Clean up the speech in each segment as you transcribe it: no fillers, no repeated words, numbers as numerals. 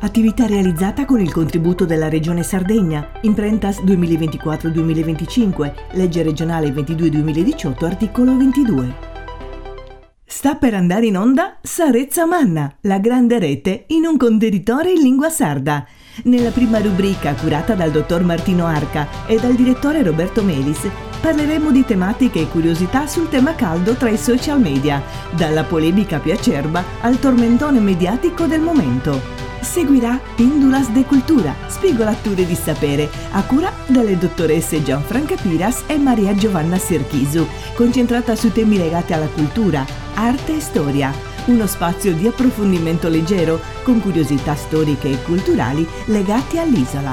Attività realizzata con il contributo della Regione Sardegna, Imprentas 2024-2025, legge regionale 22-2018, articolo 22. Sta per andare in onda Sa Retza Manna, la grande rete in un contenitore in lingua sarda. Nella prima rubrica, curata dal dottor Martino Arca e dal direttore Roberto Melis, parleremo di tematiche e curiosità sul tema caldo tra i social media, dalla polemica più acerba al tormentone mediatico del momento. Seguirà Pindulas de Cultura, spigolature di sapere, a cura delle dottoresse Gianfranca Piras e Maria Giovanna Serchisu, concentrata su temi legati alla cultura, arte e storia. Uno spazio di approfondimento leggero, con curiosità storiche e culturali legate all'isola.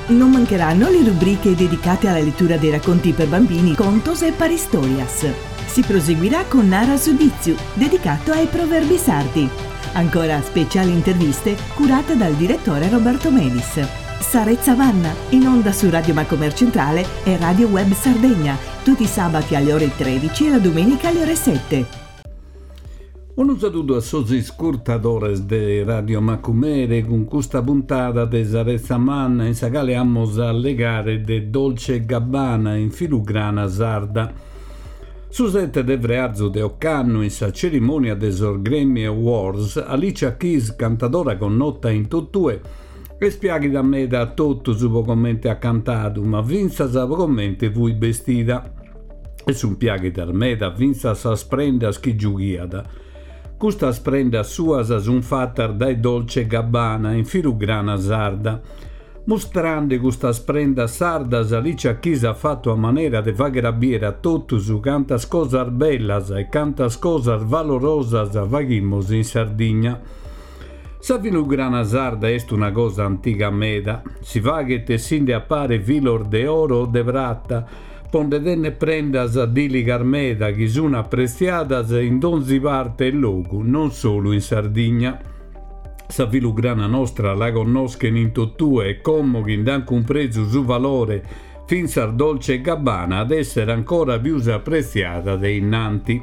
Non mancheranno le rubriche dedicate alla lettura dei racconti per bambini, contos e paristorias. Si proseguirà con Nara su Ditzu, dedicato ai proverbi sardi. Ancora speciali interviste curate dal direttore Roberto Melis. Sa Retza Manna, in onda su Radio Macomer Centrale e Radio Web Sardegna, tutti i sabati alle ore 13 e la domenica alle ore 7. Unu saludu a sos iscurtadores de Radio Macumere cun custa puntada de Sa Retza Manna in sa cale amus a allegare de Dolce e Gabbana in filugrana sarda. Su sete de frearzu de ocannu in sa cerimònia de sos Grammy Awards, Alicia Keys, cantadora connota in totue, est piàghida meda a totus pro comente at cantadu, ma fintzas pro comente fuit bestida. E sunt piàghidas meda fintzas sas prendas chi giughiat. Custas prendas suas sunt fatas dae Dolce e Gabbana in filugrana sarda. Mustrande custas prendas sardas, Alicia Keys at fatu a manera de fàghere a bìere a totus cantas cosas bellas e cantas cosas valorosas faghimus in Sardigna. Sa filugrana sarda est una cosa antiga meda. Si faghet essinde a pare filos de oro o de prata po nde tènnere prendas dìligas meda chi sun apretziadas in donzi parte e logu, non solu in Sardigna. Sa filugrana nostra la connoschen in totue e como chi nd'an cumpresu su valore fintzas Dolce e Gabbana at esser ancora pius apretziada de innanti.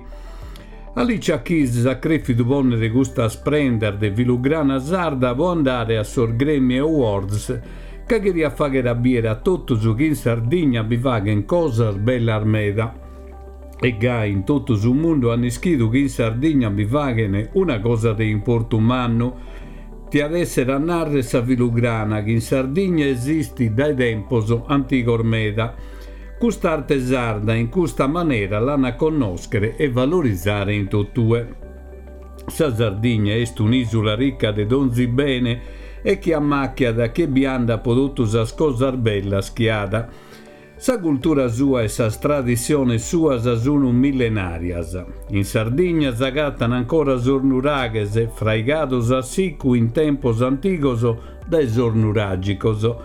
Alicia Keys at crèfidu pònnere custas prendas de filugrana sarda po andare a sos Grammy Awards ca cheriat fàghere a bìere a totus chi in Sardigna bi faghen cosas bellas meda. E gai in totu su mundu an ischidu chi in Sardigna bi faghen una cosa de importu mannu, tiat esser a narrer sa filugrana chi in Sardigna esistit dae tempos antigos meda. Cust'arte sarda in custa manera l'an a connòschere e valorizare in totue. Sa Sardigna est un'ìsula ricca de donzi bene e chi ammàchiat chie bi andat po totu sas cosas bellas chi at. Sa cultura sua e sas tradissiones suas sun millenàrias. In Sardigna s'agatan ancora sos nuraghes, fraigados a sicu in tempos antigos dae sos nuràgicos.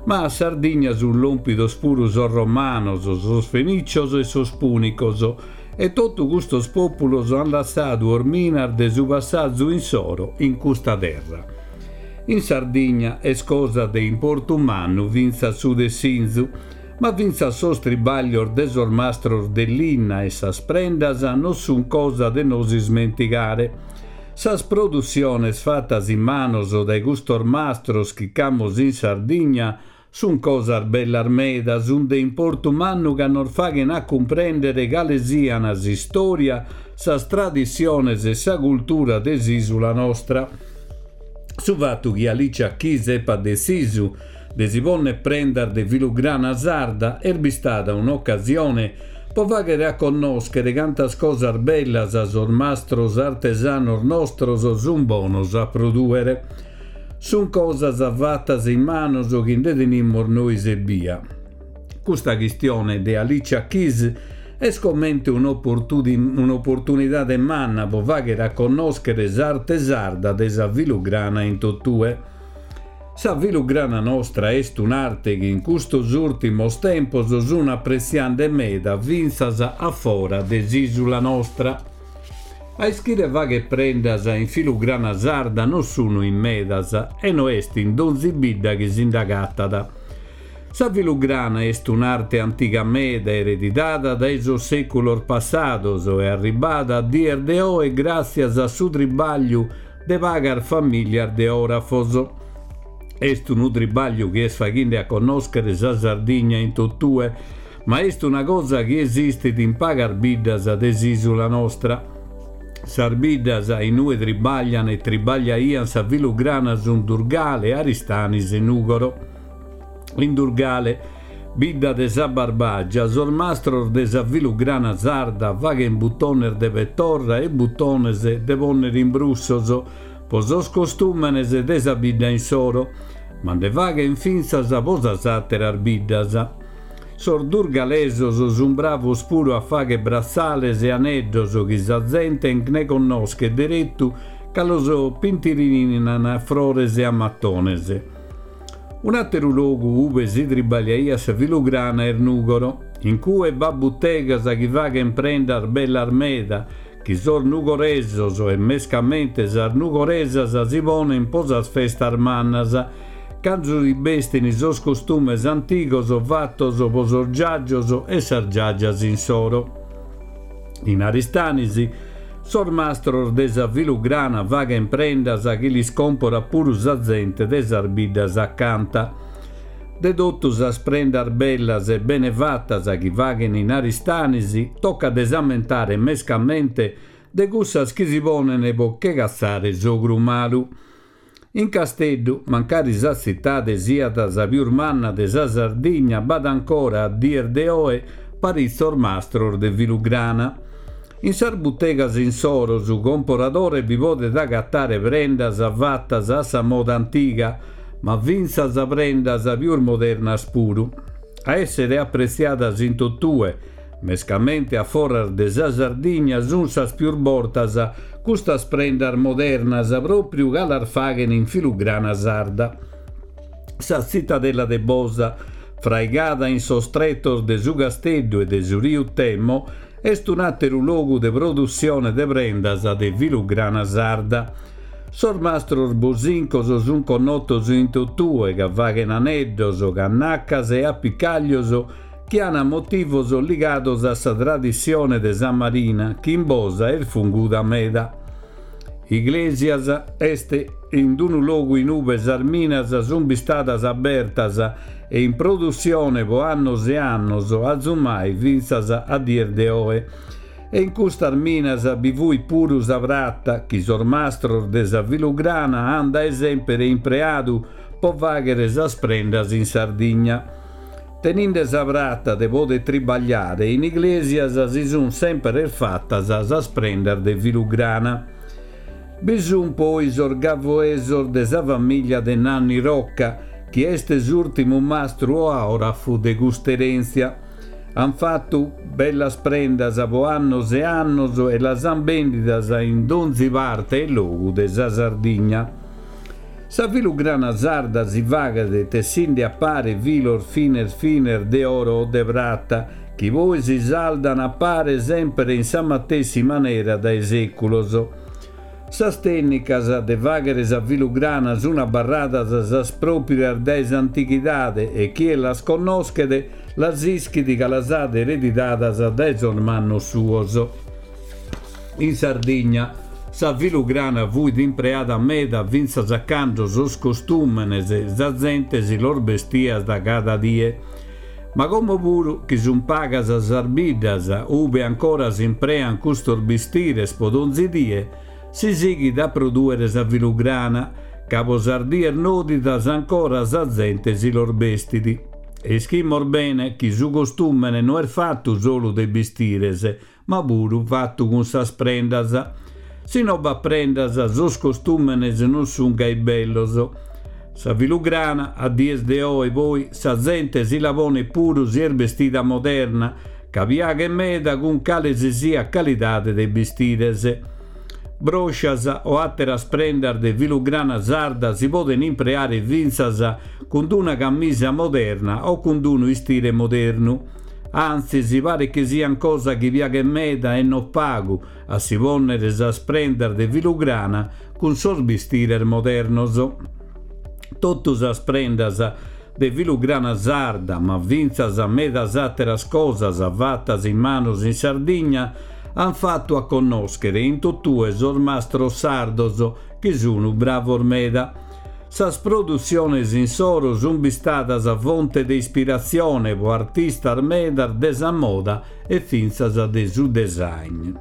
Ma a Sardigna sun lòmpidos puru sos romanos, sos fenìcios e sos pùnicos, e totu custos pòpulos an lassadu orminas de su passazu insoro in custa terra. In Sardigna est cosa de importu mannu fintzas su tessinzu, ma fintzas sos tribàglios de sos mastros de linna e sas prendas non sunt cosa de nos ismentigare. Sas produssiones fatas in manos dae custos mastros chi ch'amus in Sardigna Sunt cosas bellas meda, sunt de importu mannu ca nos faghen a cumprèndere cale sian s'istòria, sas tradissiones e sa cultura de s'ìsula nostra. Su fatu chi Alicia Keys epat detzisu de si pònnere prendas de filugrana sarda est bistada un'ocasione po fàghere a connòschere cantas cosas bellas sos mastros artesanos nostros sunt bonos a prodùere. Sunt cosas fatas in manos chi nde tenimus nois ebbia. Custa chistione de Alicia Keys est comente un'oportunidade manna po fàghere a connòschere s'arte sarda de sa filugrana in totue. Sa filugrana nostra est un'arte chi in custos ùrtimos tempos sunt apretziande meda fintzas a fora de s'ìsula nostra. A ischire fagher prendas in filugrana sarda no sunu in medas e no est in donzi bidda chi si nd'agatat. Sa filugrana est un'arte antiga meda eredidada dae sos sèculos passados e arribbada a dies de oe gràtzias a su tribagliu de pagas famìlias de òrafos. Est unu tribagliu chi est faghinde a connòschere sa Sardigna in totue, ma est una cosa chi esistit in pagas biddas de s'ìsula nostra. Sas biddas in ue tribaglian e tribagliaian sa filugrana sunt Durgale, Aristanis e Nùgoro. In Durgale, bidda de sa Barbagia, sos mastros de sa filugrana sarda faghen butones de petorra e butones de pònnere in brussos po sos costùmenes de sa bidda insoro, ma nde faghen fintzas po sas àteras biddas. Sos durgalesos sun bravos puru a fagher bratzales e aneddos chi sa zente nde connoschet deretu ca los pintirininan a frores e a matones. Un'àteru logu ube si tribagliaiat sa filugrana est Nùgoro. In cue b'at butegas chi faghen prendas bellas meda chi sos nugoresos e mescamente sas nugoresas si ponen po sas festas mannas, cando si bestin sos costumes antigos fatos po sos giagios e sas giagias insoro. In Aristanis, sos mastros de sa filugrana faghen prendas chi lis comporat puru sa zente de sas biddas acanta. De totu sas prendas bellas e bene fatas chi faghen in Aristanis, tocat de s'ammentare mescamente de cussas chi si ponen po che catzare s'ogru malu. In Casteddu, mancari sa tzitade siat sa pius manna de sa Sardigna, b'at ancora, a dies de oe, paritzos mastros de filugrana. In sas butegas insoro su comporadore bi podet agatare prendas fatas a sa moda antiga, ma fintzas prendas pius modernas puru. A èssere apretziadas in totue, mescamente a foras de sa Sardigna, sunt sas pius bortas custas prendas modernas pròpriu ca las faghen in filugrana sarda. Sa tzitadella de Bosa, fraigada in sos tretos de su casteddu e de su riu Temo, est un'àteru logu de produssione de prendas de filugrana sarda. Sos mastros bosincos sunt connotos in totue ca faghen aneddos, cannacas e apicaglios chi an motivos ligados a sa tradissione de sa marina chi in Bosa est funguda meda. Iglesias est in unu logu in ube sas minas sunt bistadas abertas e in produssione po annos e annos, azumai fintzas a dies de oe. E in custas minas bi fuit puru sa prata chi sos mastros de sa filugrana an dae sempere impreadu po faghere sas prendas in Sardigna. Teninde sa prata de poder tribagliare in Iglesias si sun sempere fatas sas prendas de filugrana. Bi sun poi sos gavoesos de sa famiglia de Nanni Rocca, chi est s'urtimu mastru òrafu de cust'erentzia. An fatu bellas prendas po annos e annos e las an bendidas in donzi parte e logu de sa Sardigna. Sa filugrana sarda si faghet tessinde a pare filos fines fines de oro o de prata chi poi si saldan a pare sempre in sa matessi manera dae sèculos. Sas tènnicas de fàghere sa filugrana sun abarradas sas pròprias dae s'antighidade e chie las connoschet las ischit ca las at eredidadas dae sos mannos suos. In Sardigna sa filugrana fuit impreada meda fintzas a cando sos costùmenes sa zente si los bestiat cada die. Ma como puru chi sun pagas sas biddas ube ancora s'imprean custos bistires po donzi die, si sighit a produere sa filugrana, ca po sas dies nodidas ancora sa zente si los bestit. E ischimos bene chi su costùmene no est fatu solu de bistires, ma puru fatu cun sas prendas. Si no b'at prendas, sos costùmenes non sun gai bellos. Sa filugrana, a dies de oe, poi, sa zente si la ponet puru si est bestida moderna, ca piaghet meda cun cale si siat calidade de bistires. Bròscias o àteras prendas de filugrana sarda si poden impreare fintzas cun d'una camisa moderna o cun d'unu istire modernu. Antzis, paret chi sian cosa chi piaghet meda e no pagu a si pònnere sas prendas de filugrana cun sos bistires modernos. Totu sas prendas de filugrana sarda, ma fintzas medas àteras cosas fatas in manos in Sardigna, an fatu a connòschere in totue sos mastros sardos chi sunu bravos meda. Sas produtziones insoro sunt bistadas fonte de ispiratzione pro artistas medas de sa moda e fintzas de su design.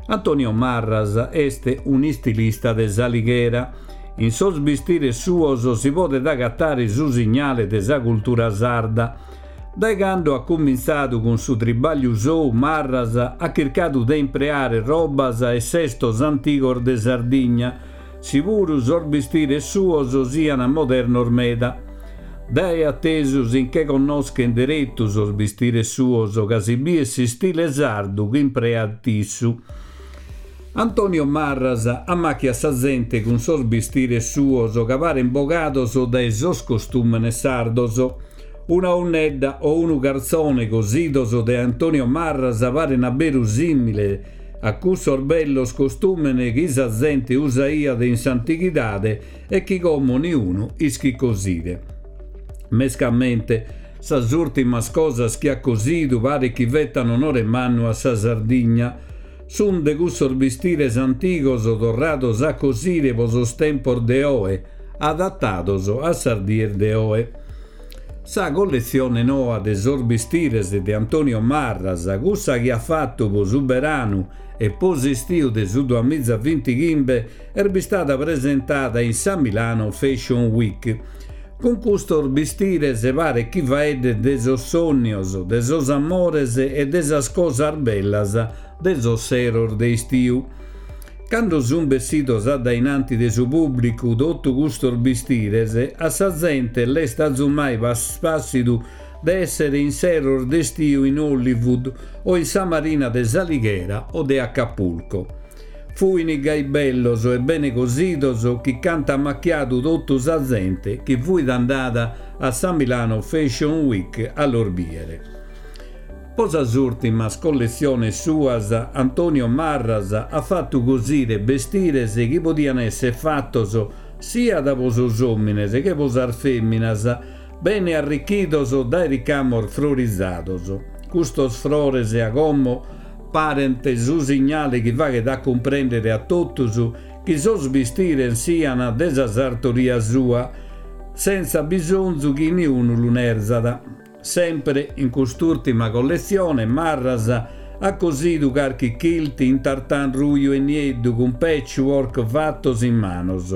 Antonio Marras est un'istilista de S'Alighera. In sos bistires suos si podet agatare su signale de sa cultura sarda. Dae cando at cumintzadu cun su tribagliu sou Marras at chircadu de impreare robas e sestos antigos de Sardigna, si puru sos bistires suos sian modernos meda. Dae atesu si nche connoschent deretu sos bistires suos ca si biet s'istile sardu chi impreat issu. Antonio Marras ammàchiat sa zente cun sos bistires suos ca parent bogados dae sos costùmenes sardos. Una 'unnedda o unu cartzone cosidos dae Antonio Marras parent a beru sìmile a cussos bellos costùmenes chi sa zente usaiat in s'antighidade e chi como niunu ischit cosire. Mescamente sas ùrtimas cosas chi at cosidu paret chi fetan onore mannu a sa Sardigna. Sunt de cussos bistires antigos torrados a cosire pro sos tempos de oe, adatados a sas dies de oe. Sa colletzione noa de sos bistires de Antonio Marras, cussa chi at fatu pro su beranu e pro s'istiu de su duamizavintighimbe, est bistada presentada in sa Milano Fashion Week. Cun custos bistires paret chi faeddet de sos sònnios, de sos amores e de sas cosas bellas de sos seros de istiu. Cando sunt bessidos a dae in anti de su pùblicu totu custos bistires, a sa zente l'est azumai pàssidu de èssere in seros de istiu in Hollywood o in sa marina de S'Alighera o de Acapulco. Fuin gai bellos e bene cosidos chi ch'ant ammachiadu totu sa zente chi fuit andada a sa Milano Fashion Week a los bìere. Po sas ùrtimas colletziones suas Antonio Marras at fatu cosire bestires chi podian èssere fatos siat po sos òmines che po sas fèminas, bene arrichidos dae ricamos frorizados. Custos frores a como parent su signale chi faghet a cumprèndere a totus chi sos bistires sian de sa sartoria sua, sentza bisonzu chi niunu lu nerzat. Sempre in cust'ùrtima colletzione Marras at cosidu carchi kilt in tartan ruju e nieddu cun patchwork fatos in manos.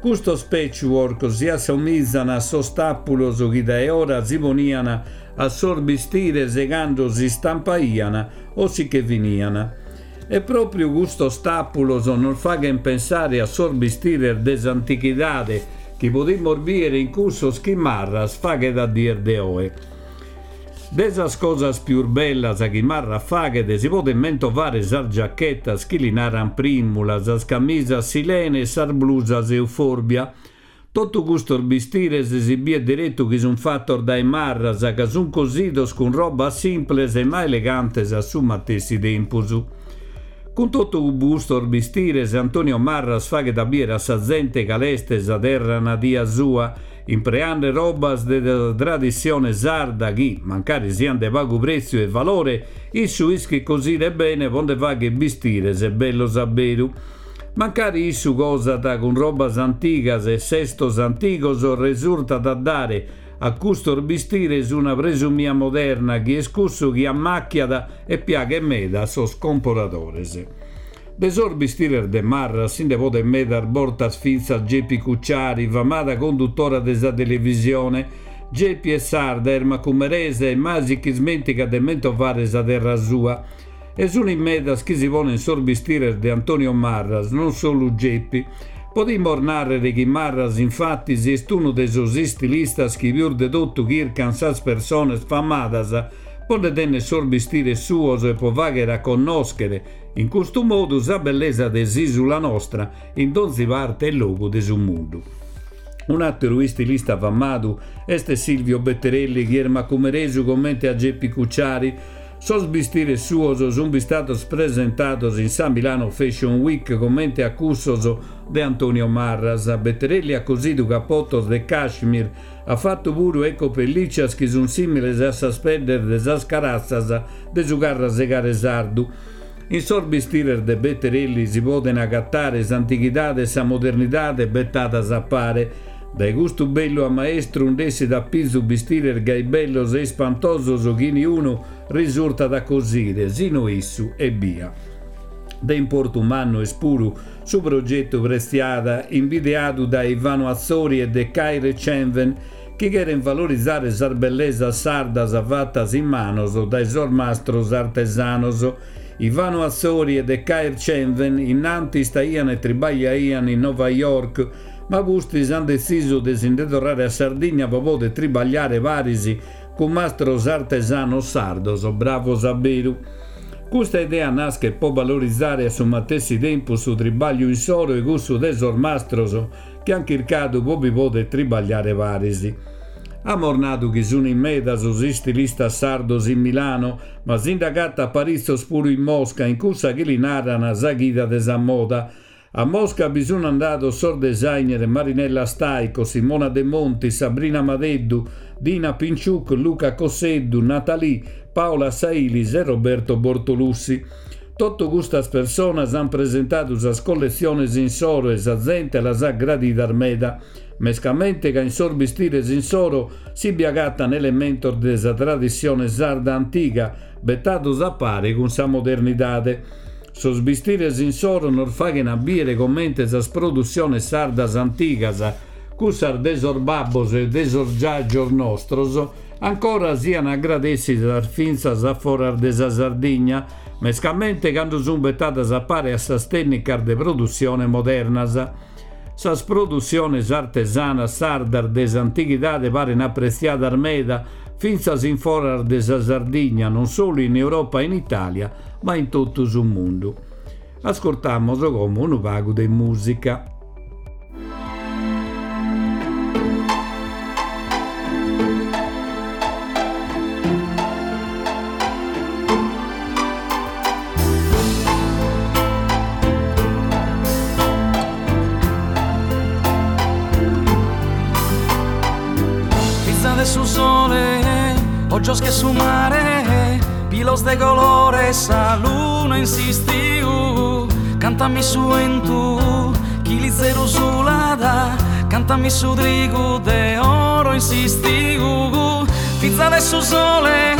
Custos patchwork si assomizan a sos tàpulos chi dae ora si ponian a sos bistires cando s'istampaian o si che finian. E pròpriu custos tàpulos nos faghent pensare a sos bistires de s'antichidade chi podimus bìere in cussos chi Marras faghet a dies de oe. De sas cosas pius bellas chi Marras faghet si podent mentovare sas giachetas chi li naran Primula, sas camisas Silene e sas blusas Euforbia. Totu custos bistires si biet deretu chi sunt fatos dae Marras ca sunt cosidos cun robas simples ma elegantes a su matessi tempus. Cun totu custos bistires Antonio Marras faghet a biere a sa zente cale est sa terra nadia sua, impreande robas de sa tradissione sarda chi, mancari siant de pagu pretziu e valore, issu ischit cosire bene po nde fagher bistires bellos a beru. Mancari issu cosat cun robas antigas e sestos antigos resurtat a dare a custos bistires una presumia moderna chi est cussu chi ammàchiat e piaghet meda a sos comporadores. De sos bistires de Marras si nde podet medas bortas fintzas Geppi Cucciari, famada condutora de sa televisione. Geppi est sarda, est macumeresa e mai si ch'ismentigat de mentovare sa terra sua. E sun in medas chi si ponen sos bistires de Antonio Marras, non solu Geppi. Podimos nàrrere chi Marras infatis est unu de sos istilistas chi pius de totu chircan sas persones famadas po nde tenner sos bistires suos e po fàghere a connòschere in custu modu sa bellesa de s'ìsula nostra in donzi parte e logu de su mundu. Un'àteru istilista famadu est Silvio Betterelli chi est macumeresu comente a Geppi Cucciari. Sos bistires suos sunt bistados presentados in sa Milano Fashion Week comente a cussos de Antonio Marras. Betterelli at cosidu capotos de cashmere, at fatu puru ecopellìcias chi sunt sìmiles a sas peddes de sas caratzas de su carrasegare sardu. In sos bistires de Betterelli si poden agatare s'antighidade e sa modernidade betadas a pare. Dae custu bellu ammaestru nd'essit a pizu bistires gai bellos e ispantosos chi niunu risurtat a cosire, si no issu ebbia. De importu mannu est puru su progetu Pretziada, imbideadu dae Ivano Atzori e de Caire Cenven, chi cherent valorizare sas bellesas sardas fatas in manos dae sos mastros artesanos. Ivano Atzori e de Cair Cenven innanti istaian e tribagliaian in Nova York, ma pustis an detzisu de si nde torrare a Sardigna pro poder tribagliare paris cun mastros artesanos sardos bravos a beru. Custa idea naschet pro valorizare a su matessi tempus su tribagliu insoro e cussu de sos mastros chi an chircadu pro bi poder tribagliare paris. Amos nadu chi sun in meda sos istilistas sardos in Milano, ma si nd'agatat paritzos puru in Mosca, in cussa chi li naran sa chida de sa moda. A Mosca bi sun andados sos designer Marinella Staico, Simona De Montis, Sabrina Madeddu, Dina Pinciuk, Luca Cosseddu, Nathalie, Paola Sailis e Roberto Bortolussi. Totu custas personas ant presentadu sas colletziones insoro e sa zente las at gradidas meda, mescamente ca in sos bistires insoro si bi agatan elementos de sa tradissione sarda antiga betados a pare cun sa modernidade. Sos bistires insoro nos faghen a bìere comente sas produssiones sardas antigas, cussas de sos babbos e de sos giajos nostros, ancora sian agradèssidas fintzas a foras de sa Sardigna, mescamente cando sunt betadas a pare a sas tènnicas de produssione modernas. Sas produssiones artesanas sardas de s'antighidade paren apretziadas meda fintzas in foras de sa Sardigna, non solu in Europa e in Itàlia, ma in totu su mundu. Ascurtamos como unu pagu de mùsica. Fiza de su sole, ojos che su mare, pilos de colore, sa luna in s'istiu. Cantami su 'entu chi lizeru sulat, cantami su trigu de oro in s'istiu. Fiza de su sole,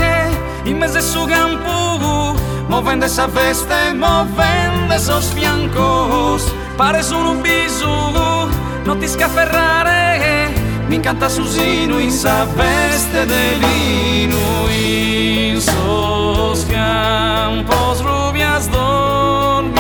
in mesu 'e su campu, movende sa veste, movende sos fiancos, pares unu bisu, no t'isc'aferrare, m'incantat su sinu in sa veste de linu, in sos campos rubias dormideras,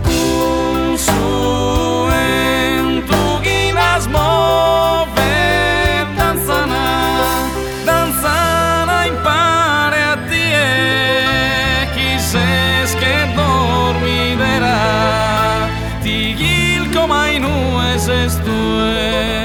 cun su 'entu chi las movet, dantzana, dantzana impare a tie, chi ses che dormidera, ti chilco ma inue ses tue.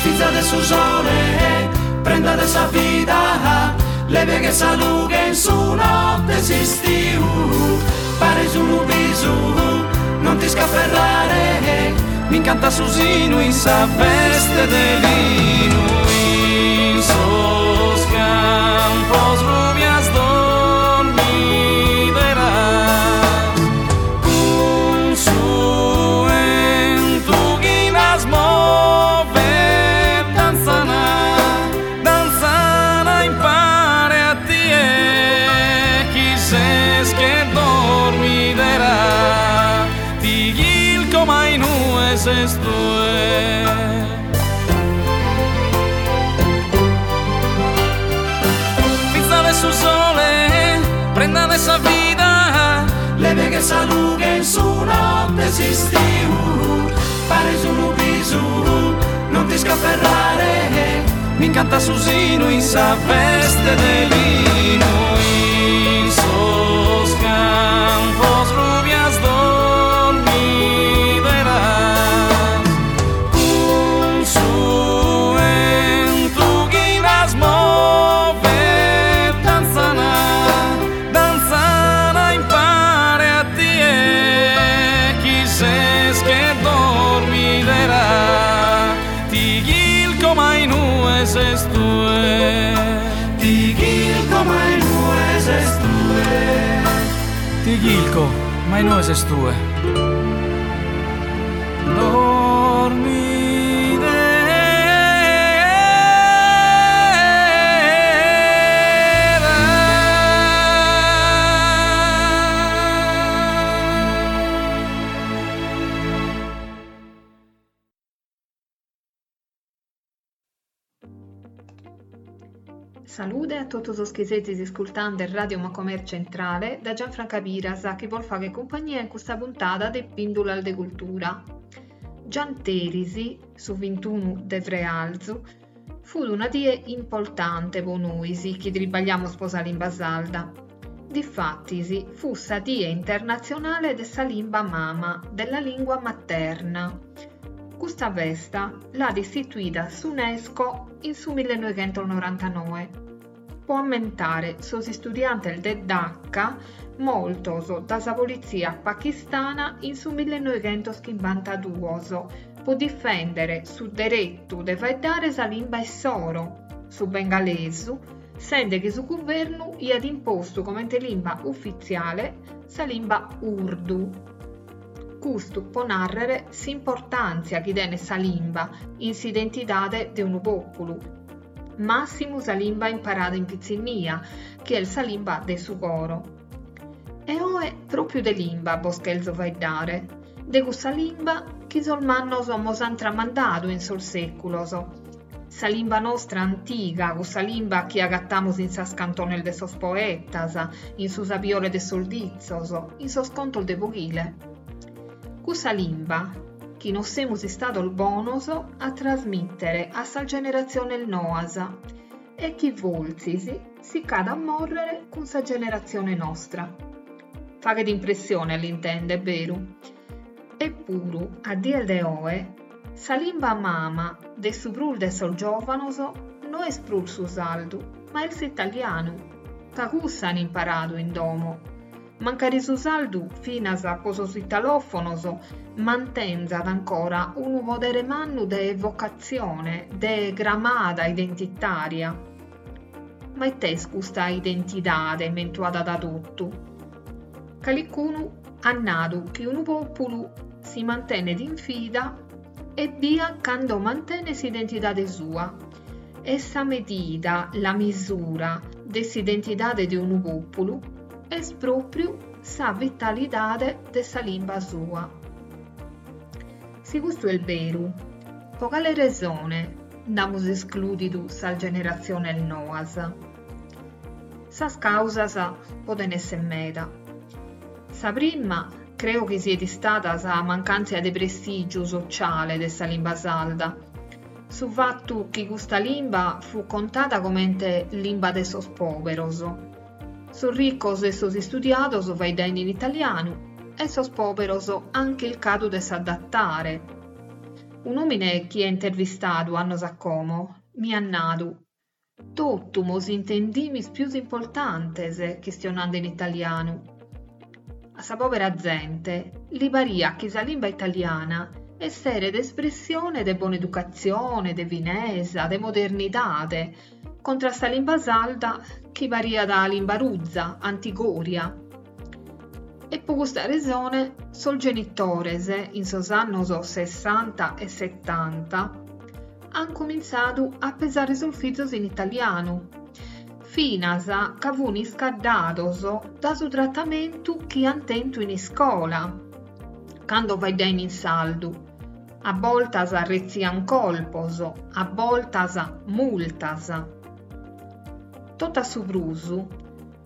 Fiza de su sole, prenda de sa vida, leve che sa lughe in su notte 'e s'istiu, pares unu bisu, non t'isc'aferrare, m'incantat su sinu in sa veste de linu, in sos campos rubias dormideras, cun su 'entu chi las movet, dantzana, dantzana impare a tie, chi ses che dormidera, ti chilco ma inue ses tue. Fiza de su sole, prenda de sa vida, leve che sa lughe in su notte 'e s'istiu, pares unu bisu, non t'isc'aferrare, m'incantat su sinu in sa veste de linu, in sos campos rubias dormideras, cun su 'entu chi las movet. ses tue. Ti chilco ma inue ses tue. Ti chilco ma inue ses tue. Dormide. Salude a totu sos chi sezis iscultande Radio Macomer Centrale da Gianfranca Piras chi bos faghet cumpagnia in custa puntada de Pìndulas de Cultura. Gianteris, su vintunu de frealzu, fut una die importante po nois chi tribagliamus po sa limba sarda. Difatis fut sa die internatzionale de sa limba mama, della lingua materna. Custa festa l'at istituida s'UNESCO in su millenoighentos-norantanoe po ammentare sos istudiantes de Dhaka mortos da sa politzia pakistana in su millenoighentos-chimbantaduos po difèndere su deretu de faeddare sa limba issoro, su bengalesu, sende chi su guvernu iat impostu comente limba ufitziale sa limba urdu. Custu po nàrrere s'importàntzia chi tenet sa limba in s'identidade de unu pòpulu, màssimu sa limba imparada in pitzinnia, chi est sa limba de su coro. E oe pròpiu de limba bos chelzo faeddare, de cussa limba chi sos mannos mos ant tramandadu in sos sèculos, sa limba nostra antiga, cussa limba chi agatamus in sas cantones de sos poetas, in su sabiore de sos ditzos, in sos contos de foghile. Cussa limba chi no semus istados bonos a trasmìtere a sas generatziones noas e chi fortzis si ch'at a mòrrere cun sa generatzione nostra. Faghet impressione a l'intender, beru? Epuru, a dies de oe, sa limba mama de su prus de sos giòvanos no est prus su sardu, ma est s'italianu, ca cussa an imparadu in domo. Mancari su sardu, finas po sos italòfonos, mantenzat ancora unu podere mannu de evocatzione, de cramada identitària. Ma it'est custa identidade mentuada da totu? Calicunu at nadu chi unu pòpulu si mantenet in vida ebbia cando mantenet s'identidade sua. E sa medida, la misura, de s'identidade de unu pòpulu est pròpriu sa vitalidade de sa limba sua. Si custu est beru, po cale resone nd'amus esclùdidu sas generatziones noas? Sas càusas poden èssere meda. Sa prima creo chi siet istada sa mancàntzia de prestìgiu sociale de sa limba sarda, su fatu chi custa limba fut contada comente limba de sos pòberos. Sos ricos e sos istudiados faeddain in italianu e sos pòberos an chircadu de s'adattare. Un'òmine chi aia intervistadu annos a como mi at nadu, Totu mos intendimis pius importantes chistionande in italianu. A sa pòbera zente li pariat chi sa limba italiana esseret espressione de bona educatzione, de finesa, de modernidade, contra sa limba sarda chi pariat limba ruza, antigòria. E po custa resone sos genitores in sos annos sessanta e setanta an cumintzadu a pesare sos fizos in italianu, finas ca fun iscaddados da su tratamentu chi an tentu in iscola, cando faeddain in sardu. A boltas retzian colpos, a boltas multas. Totu a su prus,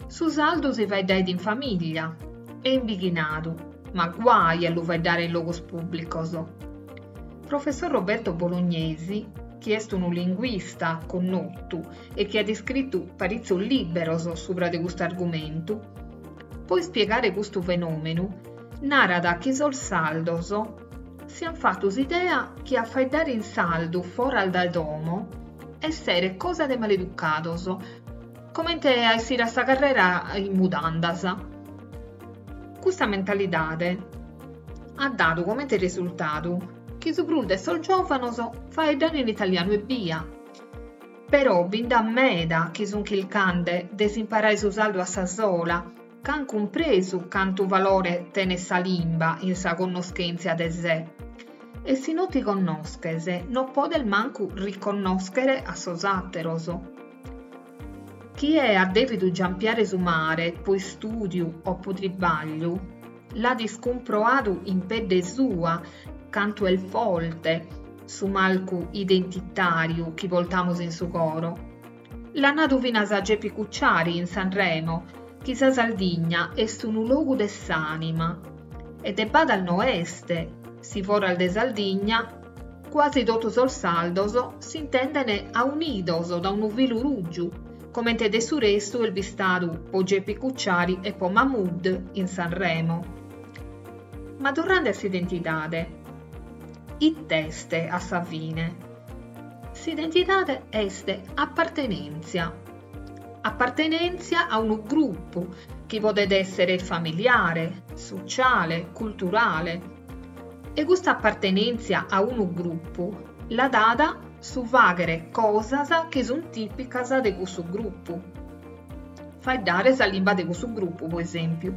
su sardu si faeddait in famìllia e in bighinadu, ma guai a lu faeddare in logos pùblicos. Professor Roberto Bolognesi, chi est unu linguista connotu e chi at iscritu paritzos lìberos subra de custu argumentu, po ispiegare custu fenòmenu, narat chi sos sardos si an fatu s'idea chi a faeddare in sardu foras dae domo esseret cosa de maleducados, comente a essire a sa carrera in mudandas. Custa mentalidade at dadu comente resultadu chi su prus de sos giòvanos faeddan in italianu ebbia. Però bi nd'at meda chi sun chircande de s'imparare su sardu a sa sola, ca an cumpresu cantu valore tenet sa limba in sa connoschèntzia de sé. E si no ti connosches, no podes mancu riconnòschere a sos àteros. Chie at dèvidu giampiare su mare po istùdiu o po tribàgliu, l'at iscumproadu in pedde sua cantu est forte su marcu identitàriu chi portamus in su coro. L'at nadu finas Geppi Cucciari in Sanremo chi sa Sardigna est unu logu de s'ànima. E de badas no est, si foras de Sardigna cuasi totu sos sardos s'intenden aunidos da unu filu ruggiu, comente de su restu est bistadu po Geppi Cucciari e po Mahmood in Sanremo. Ma torrende a s'identidade, it'est a sa fine? S'identidade est apartenèntzia. Apartenèntzia a unu grupu chi podet èssere familiare, sociale, culturale. E custa apartenèntzia a unu grupu la dat su fàghere cosas chi sunt tìpicas de cussu grupu. Faeddare sa limba de cussu grupu, pro esèmpiu.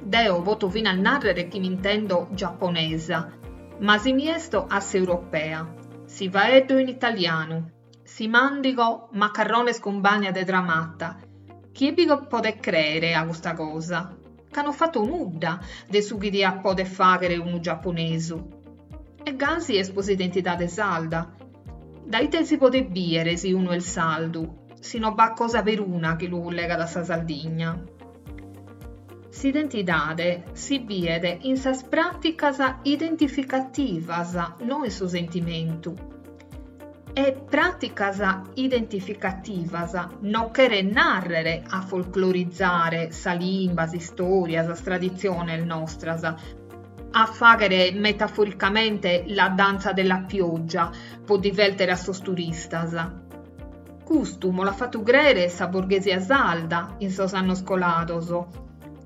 Deo poto finas nàrrere chi m'intendo giaponesa, ma si mi esto a s'europea, si faeddo in italianu, si màndigo macarrones cun bagna de tramata, chie bi podet crèere a custa cosa? Ca no fato nudda de su chi diat poder fàghere unu giaponesu. E gasi est po s'identidade sarda. Da ite si podet bìere si unu est sardu, si no b'at cosa peruna chi lu cullegat a sa Sardigna? S'identidade si biet in sas pràticas identificativas, no in su sentimentu. E pràticas identificativas no cheret nàrrere a folclorizare sa limba, s'istòria, sas traditziones nostras, a fàghere metaforicamente la danza della pioggia po divèrtere a sos turistas. Custu mo l'at fatu crèere sa borghesia sarda in sos annos colados,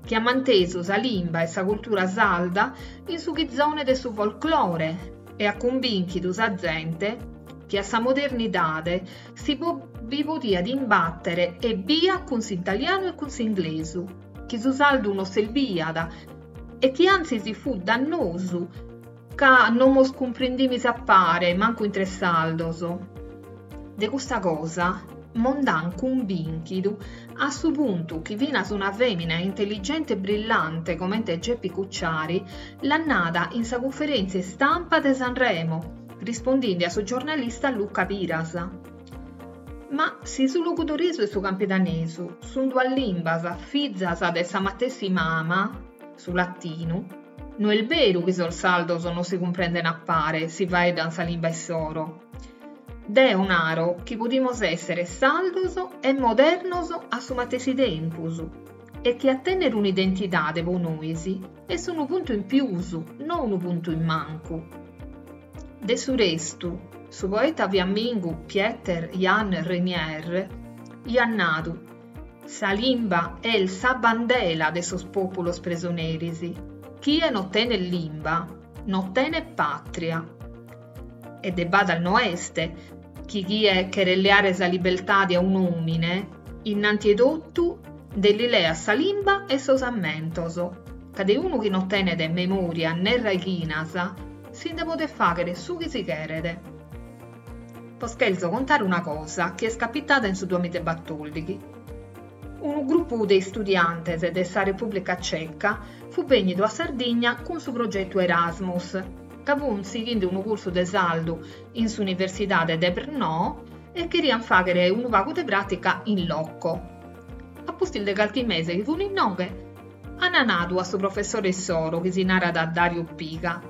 chi at mantesu sa limba e sa cultura sarda in su chizone de su folclore e at cumbìnchidu sa zente chi a sa modernidade si bi podiat imbàtere ebbia cun s'italianu e cun s'inglesu, chi su sardu no serbiat e chi antzis fut dannosu ca no mos cumprendimis a pare mancu intre sardos. De custa cosa mo nd'an cumbìnchidu a su puntu chi finas una fèmina intelligente e brillante comente Geppi Cucciari l'at nada in sa cunferèntzia istampa de Sanremo, rispondinde a su giornalista Luca Piras. Ma si su logudoresu e su campidanesu sun duas limbas fizas de sa matessi mama, su latinu, no est beru chi sos sardos no si cumprenden a pare si faeddan sa limba issoro. Deo naro chi podimos èssere sardos e modernos a su matessi tempus e chi a tènnere un'identidade po nois est unu puntu in pius, no unu puntu in mancu. De su restu, su poeta fiammingu Pieter Jan Renier iat nadu, Sa limba est sa bandela de sos pòpulos presoneris. Chie no tenet limba, no tenet pàtria. E de badas no est chi chie cheret leare sa libertade a un'òmine, innanti 'e totu nde li leat sa limba e sos ammentos, ca de unu chi no tenet memòria ne raighinas si nde podet fàghere su chi si cheret. Bos cherzo contare una cosa chi est capitada in su duamizaebatòrdighi. Unu grupu de istudiantes de sa Repùblica Ceca fut bènnidu a Sardigna cun su progetu Erasmus, ca funt sighende unu cursu de sardu in s'Universidade de Brno e cheriant fàghere unu pagu de pràtica in loco. A pustis de carchi mese chi fun inoghe, an nadu a su professore issoro, chi si narat Dario Piga,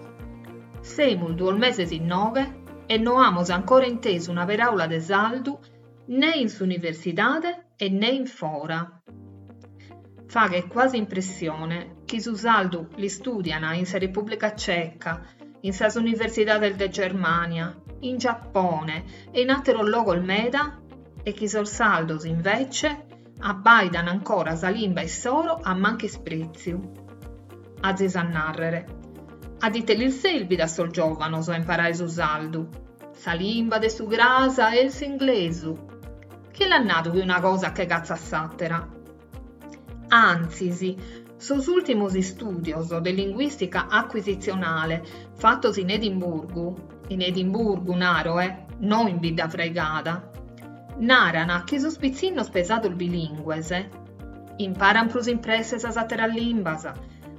Semus duos meses inoghe e no amus ancora intesu una peràula de sardu ne in s'universidade e ne in fora. Faghet quasi impressione chi su sardu l'istùdian in sa Repùblica Ceca, in sas universidades de Germània, in Giapone e in àteros logos meda e chi sos sardos invece abbàidan ancora sa limba issoro a manchisprètziu. Azis a nàrrere, a ite lis serbit a sos giòvanos a imparare su sardu? Sa limba de su cras est s'inglesu. Chie l'at nadu chi una cosa che catzat s'àtera? Antzis, sos ùltimos istùdios de linguìstica acuisitzionale fatos in Edimburgu, in Edimburgu, naro, eh, no in Biddafraigada, naran chi sos pitzinnos pesados bilìngues imparan prus in presse sas àteras limbas,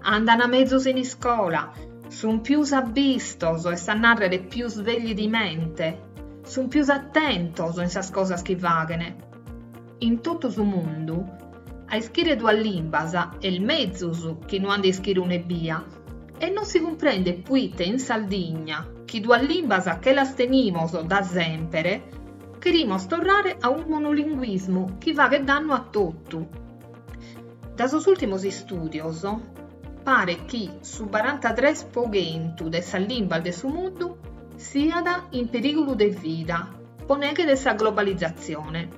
andan mezus in iscola, sun pius abbistos, est a nàrrere più svegli di mente, sun pius atentos in sas cosas chi faghen. In totu su mundu, a ischire duas limbas est mezus chi no a nde ischire una ebbia e non si cumprendet puite in Saldigna, chi duas limbas che las tenimos da sempere, cherimos torrare a unu monolinguismu chi faghet dannu a totu. Da sos ùltimos istùdios paret chi su barantatres po chentu de sas limbas de su mundu siat in perìgulu de vida po neghe de sa globalizatzione.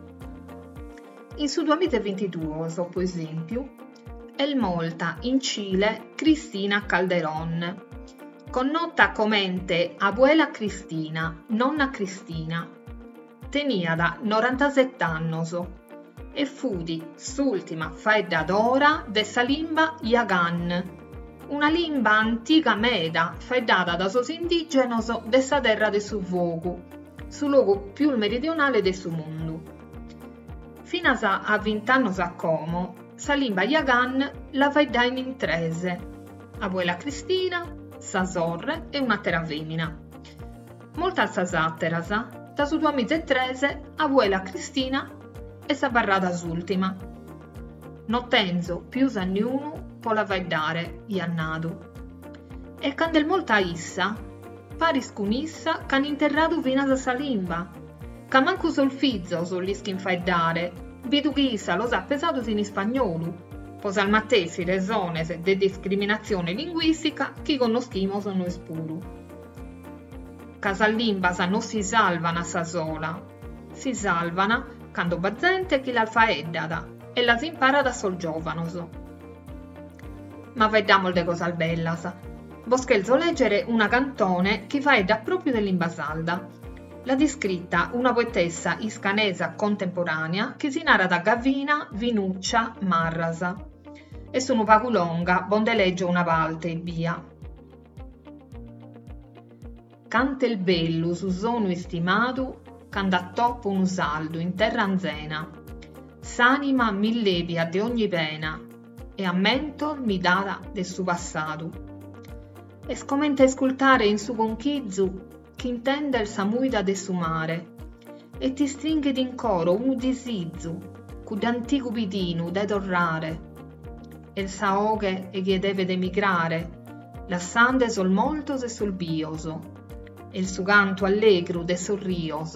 In su duamiza e bintiduos, po esèmpiu, est morta in Cile Cristina Calderón, connota comente Abuela Cristina, Nonna Cristina. Teniat norantaset'annos e fut s'ùrtima faeddadora de sa limba Yaghan, una limba antiga meda faeddada da sos indìgenos de sa Terra de su Fogu, su logu pius meridionale de su mundu. Finas a vint'annos a como, sa limba Yaghan la faeddain in tres, Abuela Cristina, sa sorre e un'àtera fèmina. Mortas sas àteras, da su duamiza e tres Abuela Cristina est abarrada s'ùrtima. No tenzo pius a niunu po la faeddare, iat nadu. E cando est morta issa, paris cun issa ch'an interradu finas sa limba, ca mancu sos fizos l'ischin faeddare, bidu chi issa los at pesados in ispagnolu, po sas matessi resones de discriminatzione linguìstica chi connoschimos nois puru. Ca sas limbas no si salvan a sa sola, si salvan cando b'at zente chi las faeddat e las imparat a sos giòvanos. Ma faeddamos de cosas bellas. Bos cherzo lègere una cantone chi faeddat pròpiu de limba sarda. L'at iscrita una poetessa iscanesa contemporànea chi si narat Gavina Vinuccia Marras. Est unu pagu longa, bos nde lègio una parte ebbia. Cant'est bellu su sonu istimadu cando attopo unu sardu in terra anzena, s'anima m'illebiat de ogni pena e ammentos mi dat de su passadu. Est comente a iscultare in su conchizu ch'intender sa muida de su mare e t'istringhet in coro unu disizu, cudd'antigu pidinu de torrare. Est sa 'oghe 'e chie devet emigrare, lassande sos mortos e sos bios, est su cantu allegru de sos rios,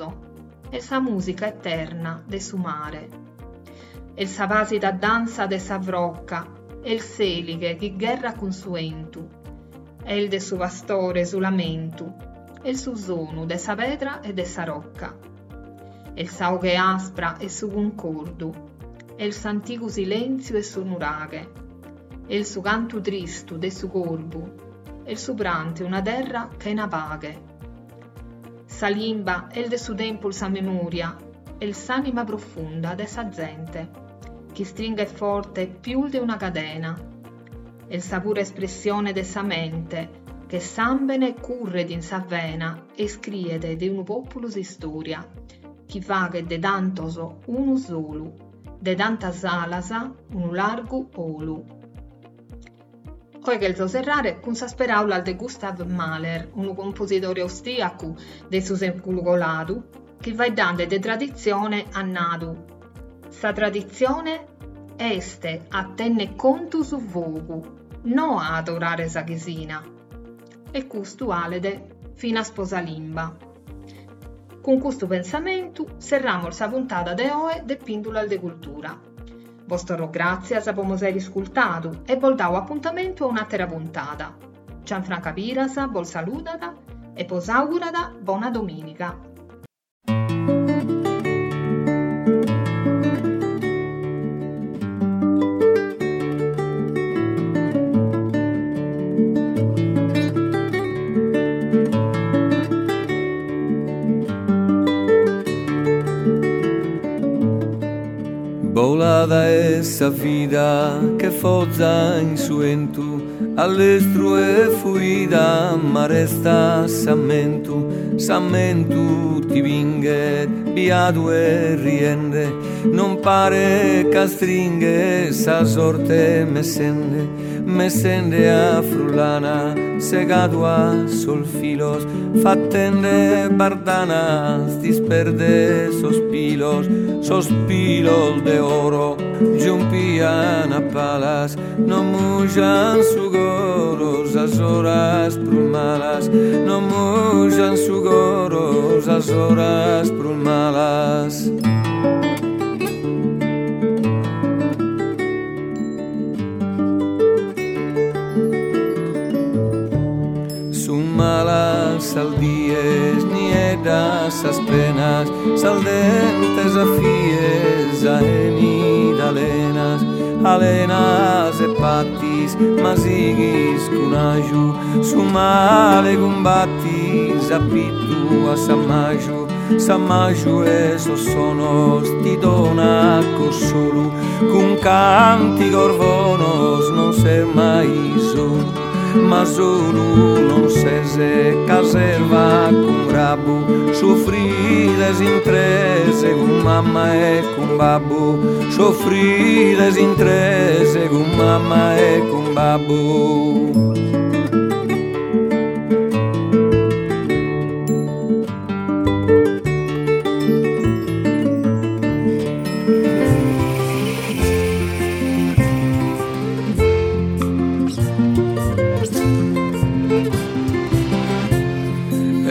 est sa musica eterna de su mare. Est sa pàsida dansa de sa frocca, est s'èlighe chi gherrat cun su 'entu. Est de su pastore su lamentu, est su sonu de sa pedra e de sa rocca. Est sa 'oghe aspra 'e su cuncordu, est s'antigu silentziu 'e su nuraghe, est su cantu tristu de su corbu, est su prantu 'e una terra chena paghe. Sa limba est de su tempus sa memoria, est s'anima profunda de sa zente, ch'istringhet forte pius de una cadena. Est sa pura espressione de sa mente, che sàmbene curret in sa vena e iscriet de unu pòpulu s'istòria, chi faghet de tantos unu solu, de tantas alas unu largu 'olu. Oe cherzo serrare cun sas peràulas de Gustav Mahler, unu composidore austrìacu de su sèculu coladu, chi faeddande de traditzione at nadu, Sa traditzione est a tenner contu su fogu, no a adorare sa chisina. E custu 'alet finas po sa limba. Cun custu pensamentu serramos sa puntada de oe de Pìndulas de Cultura. Bos torro gràtzias po mos àere iscultadu e bos dao apuntamentu a un'àtera puntada. Gianfranca Piras bos saludat e bos àugurat bona domìniga. Colada est sa vida che foza in su 'entu, a lestru est fuida ma restat s'ammentu, s'ammentu ti pinghet biadu e riende, non paret c'astringhet sa sorte messende, messende a frullana segadu at sos filos, fatende bardanas t'isperdet sos pilos, sos pilos de oro giumpian a palas, non mujan su coro sas oras prus malas, non mujan su coro sas oras prus malas. Sun malas sas dies, nieddas sas penas, sas dentes a fies aenit alenas, alenas e patis, ma sighis cun aju, su male cumbatis a pitu a s'ammaju. S'ammaju 'e sos sonos ti donat cossolu, cun cantigos bonos non ses mai solu, ma solu non ses ca s'erva cun grabbu, sufrides in tres cun mamma e cun babbu, sufrides in tres cun mamma e cun babbu.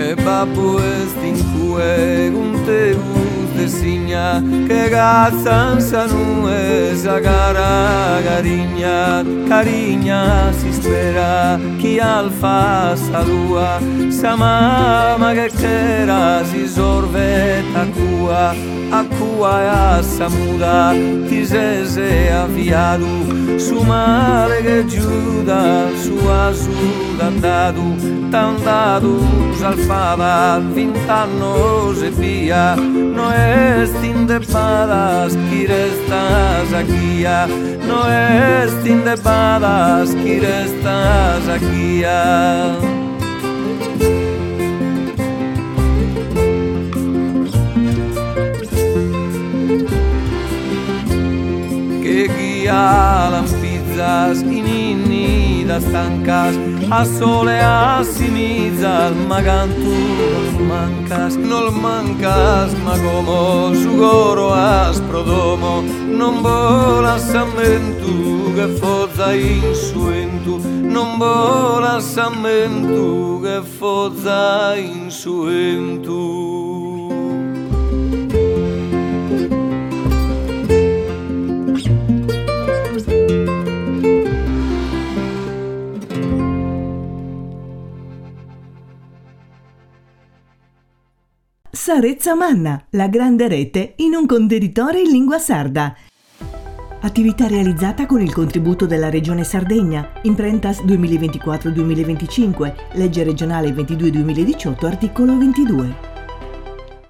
E babbu est in cue cun tegus de signa che catzan sa nue sa cara carignat carignat s'ispera chi alfat sa lua Sa mama che chera s'isorvet a cua, a cua e a sa muda ti ses aviadu, su male che Giuda su 'asu t'at dadu, t'an dadu sas fadas vint'annos ebbia, no est in debadas chi restat sa ghia, no est in debadas chi restat sa ghia. Che ghia lampizas in innidas tancas, a sole assimizas, ma cantu nos mancas, nos mancas, ma como su coro as pro domo, non bolat s'ammentu che foza in su 'entu, non bolat s'ammentu che foza in su 'entu. Sa Retza Manna, la grande rete in un contenitore in lingua sarda. Attività realizzata con il contributo della Regione Sardegna, Imprentas 2024-2025, legge regionale 22-2018, articolo 22.